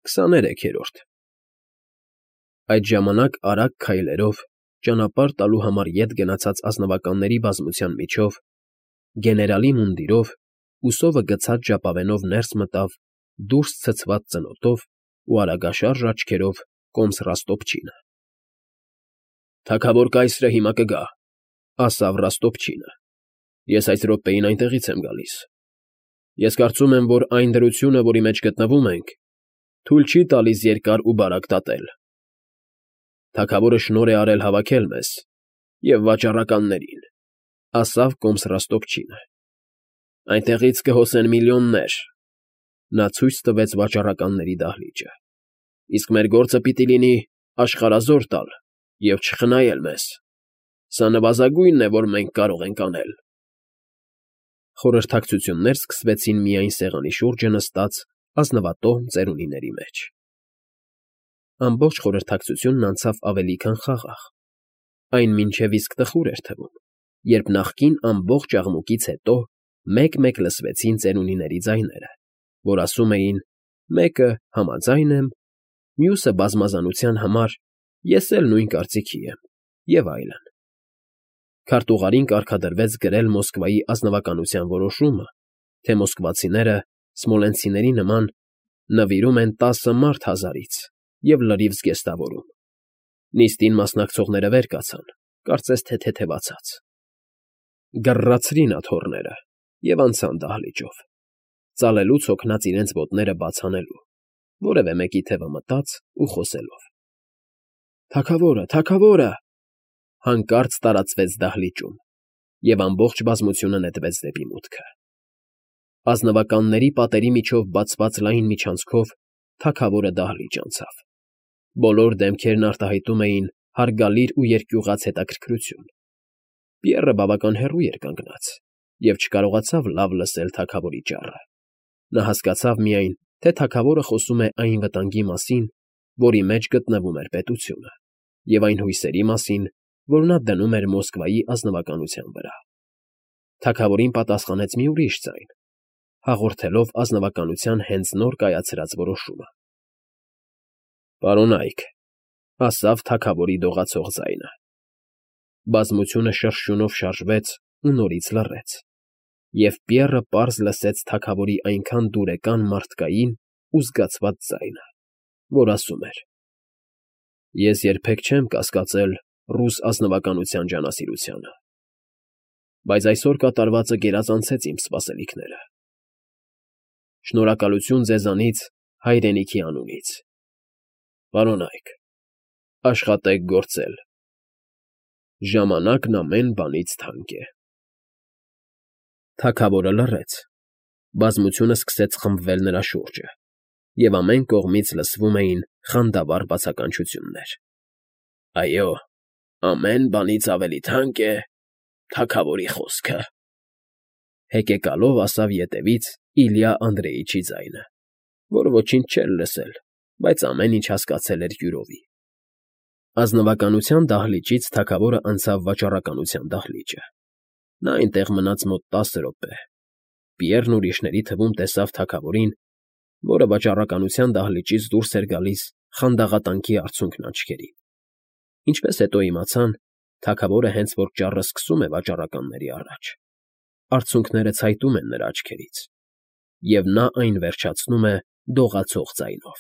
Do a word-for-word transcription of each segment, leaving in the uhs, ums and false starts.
Քսաներեքերորդ Այդ ժամանակ արագ քայլերով, ճանապարհ տալու համար ետ գնացած ազնվականների բազմության միջով, գեներալի մունդիրով, ուսովը գցած ժապավենով ներս մտավ դուրս ցցված ծնոտով ու արագաշարժ աչքերով կոմս Ռաստոպչինը։ ֊ Թագավոր կայսրը հիմա կգա,֊ ասավ Ռաստոպչինը,֊ ես այս րոպեին այնտեղից եմ գալիս։ Ես կարծում եմ, որ այն դրությունը, որի մեջ գտնվում ենք, թույլ չի տալիս երկար ու բարակ դատել։ Թագավորը շնորհ է արել հավաքել մեզ և վաճառականներին,֊ ասավ կոմս Ռաստոպչինը,֊ այնտեղից կհոսեն միլիոններ,֊ նա ցույց տվեց վաճառականների դահլիճը,֊ իսկ մեր գործը պիտի լինի աշխարհազոր տալ և չխնայել մեզ։ Սա նվազագույնն է, որ մենք կարող ենք անել։ Խորհրդակցություններ սկսվեցին միայն սեղանի շուրջը նստած ազնվատոհմ ծերունիների մեջ։ Ամբողջ խորհրդակցությունն անցավ ավելի քան խաղաղ, այն մինչև իսկ տխուր էր թվում, երբ նախկին ամբողջ աղմուկից հետո մեկ֊մեկ լսվեցին ծերունիների ձայները, որ ասում էին. «Մեկը համաձայն եմ», «Մյուսը բազմազանության համար, ես էլ նույն կարծիքի եմ» և այլն։ Քարտուղարին կարգադրվեց գրել Մոսկվայի ազնվականության որոշումը, թե մոսկվացիները, սմոլենցիների նման, նվիրում են տասը մարդ հազարից և լրիվ զգեստավորում։ Նիստին մասնակցողները վեր կացան, կարծես թե թեթևացած։ Գռռացրին աթոռները և անցան դահլիճով, ծալելուց հոգնած իրենց ոտները բաց անելու, որևէ մեկի թևը մտած ու խոսելով։ «Թագավորը, թագավորը…» հանկարծ տարածվեց դահլիճում, և ամբողջ բազմությունը նետվեց դեպի մուտքը։ Ազնվականների պատերի միջով բացված լայն միջանցքով թագավորը դահլիճ անցավ։ Բոլոր դեմքերն արտահայտում էին հարգալիր ու երկյուղած հետաքրքրություն։ Պիեռը բավական հեռու էր կանգնած և չկարողացավ լավ լսել թագավորի ճառը։ Նա հասկացավ միայն, թե թագավորը խոսում է այն վտանգի մասին, որի մեջ գտնվում էր պետությունը, և այն հույսերի մասին, որ նա դնում էր Մոսկվայի ազնվականության վրա։ Թագավորին պատասխանեց մի ուրիշ ձայն, հաղորդելով ազնվականության հենց նոր կայացրած որոշումը։ «Պարոնա՛յք,֊ ասավ թագավորի դողացող ձայնը։ Բազմությունը շրշյունով շարժվեց ու նորից լռեց, և Պիեռը պարզ լսեց թագավորի այնքան դուրեկան մարդկային ու զգացված ձայնը, որ ասում էր. «Ես երբեք չեմ կասկածել ռուս ազնվականության ջանասիրությանը, բայց այսօր կատարվածը գերազանցեց իմ սպասելիքները։ Շնորհակալություն ձեզանից հայրենիքի անունից։ Պարոնա՛յք, աշխատեք գործել։ Ժամանակն ամեն բանից թանկ է»։ Թագավորը լռեց։ Բազմությունը սկսեց խմբվել նրա շուրջը, և ամեն կողմից լսվում էին խանդավառ բացականչություններ։ «Այո, ամեն բանից ավելի թանկ է թագավորի խոսքը», հեկեկալով ասավ ետևից Իլյա Անդրեիչի ձայնը, որ ոչինչ չէր լսել, բայց ամեն ինչ հասկացել էր յուրովի։ Ազնվականության դահլիճից թագավորը անցավ վաճառականության դահլիճը։ Նա այնտեղ մնաց մոտ տասը րոպե։ Պիեռն ուրիշների թվում տեսավ թագավորին, որը վաճառականության դահլիճից դուրս էր գալիս խանդաղատանքի արցունքն աչքերին։ Ինչպես հետո իմացան, թագավորը հենց որ ճառը սկսում է վաճառականների առաջ, արցունքները ցայտում են նրա աչքերից, և նա այն վերջացնում է դողացող ձայնով։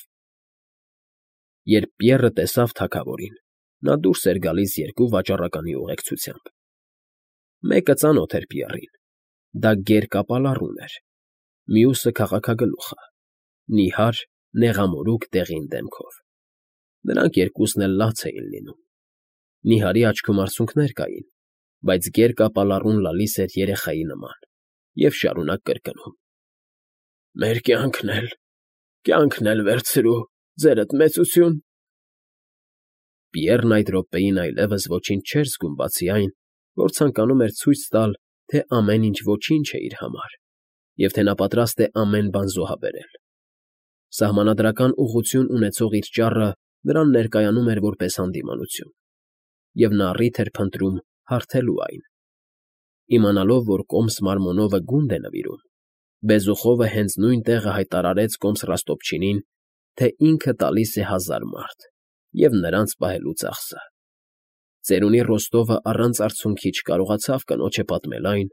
Երբ Պիեռը տեսավ թագավորին, նա դուրս էր գալիս երկու վաճառականի ուղեկցությամբ։ Մեկը ծանոթ էր Պիեռին. դա գերկապալառուն էր, մյուսը քաղաքագլուխը՝ նիհար, նեղամորուք դեղին դեմքով։ Նրանք երկուսն էլ լաց էին լինում։ Նիհարի աչքում արցունքներ կային, բայց գերկապալառուն լալիս էր երեխայի նման և շարունակ կրկնում. «Մեր կյանքն էլ, կյանքն էլ վերցրու, ձերդ մեծություն»։ Պիեռն այդ րոպեին այլևս ոչինչ չէր զգում, բացի այն, որ ցանկանում էր ցույց տալ, թե ամեն ինչ ոչինչ է իր համար, և թե նա պատրաստ է ամեն բան զոհաբերել։ Սահմանադրական ուղղություն ունեցող իր ճառը նրան ներկայանում էր որպես հանդիմանություն, և նա առիթ էր փնտրում հարթելու այն։ Իմանալով, որ կոմս Մարմոնովը գունդ է նվիրում, Բեզուխովը հենց նույն տեղը հայտարարեց կոմս Ռաստոպչինին, թե ինքը տալիս է հազար մարդ և նրանց պահելու ծախսը։ Ծերունի Ռոստովը առանց արցունքի չկարողացավ կնոջը պատմել այն,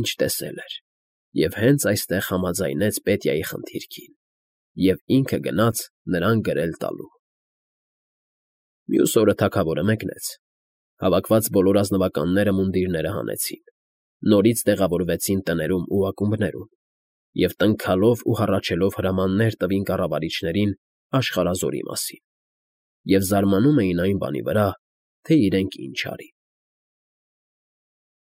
ինչ տեսել էր, և հենց այստեղ համաձայնեց Պետյայի խնդիրքին և ինքը գնաց նրան գրել տալու։ Մյուս օրը թագավորը մեկնեց։ Հավաքված բոլոր ազնվականները մունդիրները հանեցին, նորից տեղավորվեցին տներում ու ակումբներում և տնքալով ու հառաչելով հրամաններ տվին կառավարիչներին աշխարհազորի մասին և զարմանում էին այն բանի վրա, թե իրենք ինչ արին։